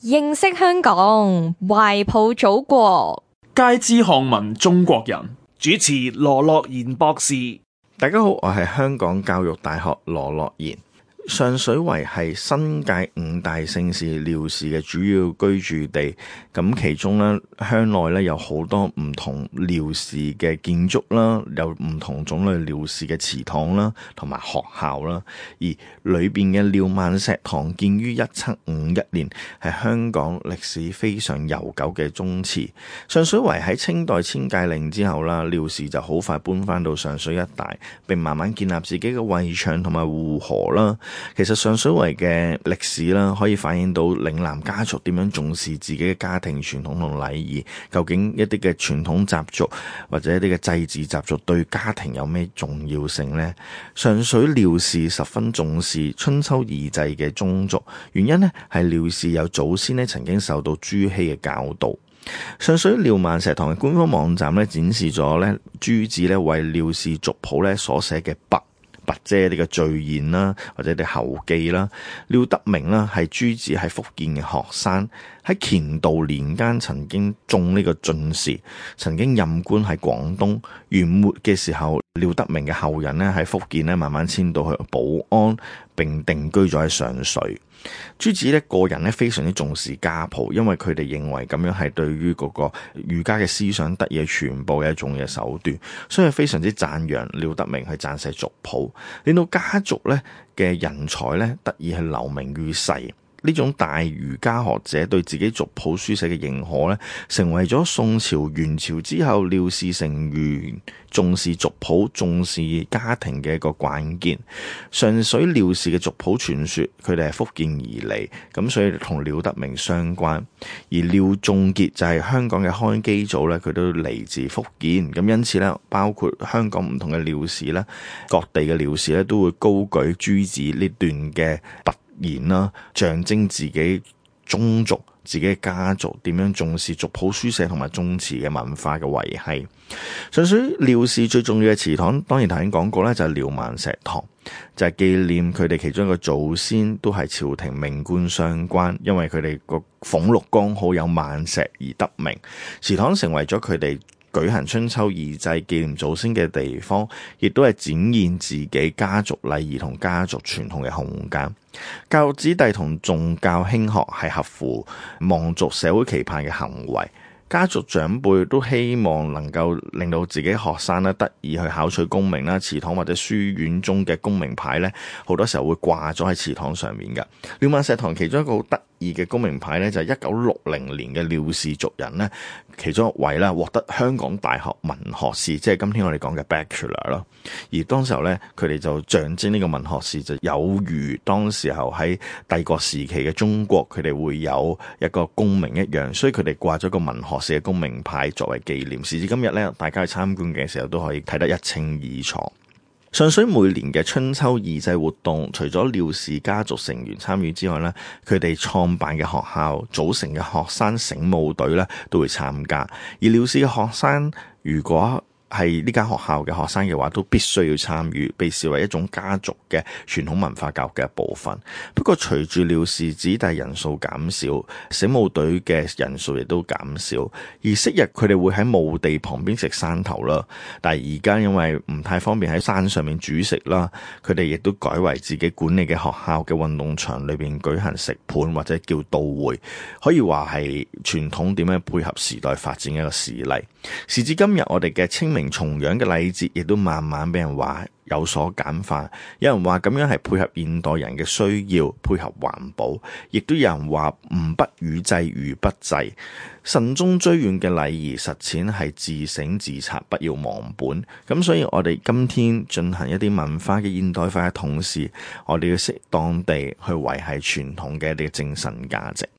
認識香港，懷抱祖國，皆知漢文中國人。主持羅樂賢博士。大家好，我係香港教育大學羅樂賢。上水圍係新界5大姓氏廖氏嘅主要居住地，咁其中咧鄉內咧有好多唔同廖氏嘅建築啦，有唔同種類廖氏嘅祠堂啦，同埋學校啦。而裏邊嘅廖萬石堂建於1751年，係香港歷史非常悠久嘅宗祠。上水圍喺清代遷界令之後啦，廖氏就好快搬翻到上水一帶，並慢慢建立自己嘅圍牆同埋護河啦。其實上水圍嘅歷史啦，可以反映到嶺南家族點樣重視自己嘅家庭傳統同禮儀，究竟一啲嘅傳統習俗或者一啲嘅祭祀習俗對家庭有咩重要性呢？上水廖氏十分重視春秋二祭嘅宗族，原因呢係廖氏有祖先呢曾經受到朱熹嘅教導。上水廖萬石堂嘅官方網站呢展示咗呢朱子呢為廖氏族譜呢所寫嘅跋即係呢個序言啦，或者啲後記啦。廖德明啦係朱子喺福建嘅學生，喺乾道年間曾經中呢個進士，曾經任官喺廣東。元末嘅時候，廖德明嘅後人呢喺福建呢慢慢遷到去寶安，並定居咗喺上水。朱子呢個人呢非常之重視家譜，因為佢哋認為咁樣係對於嗰個儒家嘅思想得以傳播嘅一種嘅手段，所以非常之讚揚廖德明去撰寫族譜，令到家族呢嘅人才呢得以去留名於世。呢種大儒家學者對自己族譜書寫嘅認可呢，成為咗宋朝元朝之後廖氏成員重視族譜、重視家庭嘅一個關鍵。上水廖氏嘅族譜傳說，佢哋係福建而嚟，咁所以同廖德明相關。而廖仲傑就係香港嘅開基祖咧，佢都嚟自福建，咁因此咧，包括香港唔同嘅廖氏咧，各地嘅廖氏咧，都會高舉朱子呢段嘅跋言啦，象徵自己宗族、自己嘅家族點樣重視族譜書寫同埋宗祠嘅文化嘅維繫。上水廖氏最重要嘅祠堂，當然頭先講過咧，就係廖萬石堂，就係紀念佢哋其中一個祖先都係朝廷命官相關，因為佢哋個俸祿剛好有萬石而得名。祠堂成為咗佢哋舉行春秋二祭紀念祖先嘅地方，亦都係展現自己家族禮儀同家族傳統嘅空間。教育子弟同重教輕學係合乎望族社會期盼嘅行為。家族長輩都希望能夠令到自己學生咧得以去考取功名啦，祠堂或者書院中嘅功名牌咧，好多時候會掛咗喺祠堂上面嘅。廖萬石堂其中一個好得意嘅功名牌咧，就係1960年嘅廖氏族人咧，其中一位啦獲得香港大學文學士，即係今天我哋講嘅 Bachelor 咯。而當時候咧，佢哋就象徵呢個文學士就有如當時候喺帝國時期嘅中國，佢哋會有一個功名一樣，所以佢哋掛咗個文學士嘅功名牌作為紀念。時至今日咧，大家去參觀嘅時候都可以睇得一清二楚。上水每年嘅春秋二祭活動，除咗廖氏家族成員參與之外咧，佢哋創辦嘅學校組成嘅學生醒舞隊咧都會參加。而廖氏嘅學生如果係呢間學校嘅學生嘅話，都必須要參與，被視為一種家族嘅傳統文化教育嘅一部分。不過隨住廖氏子弟人數減少，醒舞隊嘅人數亦都減少。而昔日佢哋會喺墓地旁邊食山頭啦，但係而家因為唔太方便喺山上面煮食啦，佢哋亦都改為自己管理嘅學校嘅運動場裏邊舉行食盤或者叫到會，可以話係傳統點樣配合時代發展嘅一個事例。時至今日，我哋嘅清明重陽嘅禮節亦都慢慢俾人話有所簡化，有人話咁樣係配合現代人嘅需要，配合環保，亦都有人話吾不與祭如不祭。慎終追遠嘅禮儀實踐係自省自察，不要忘本。咁所以我哋今天進行一啲文化嘅現代化嘅同時，我哋要適當地去維繫傳統嘅一啲精神價值。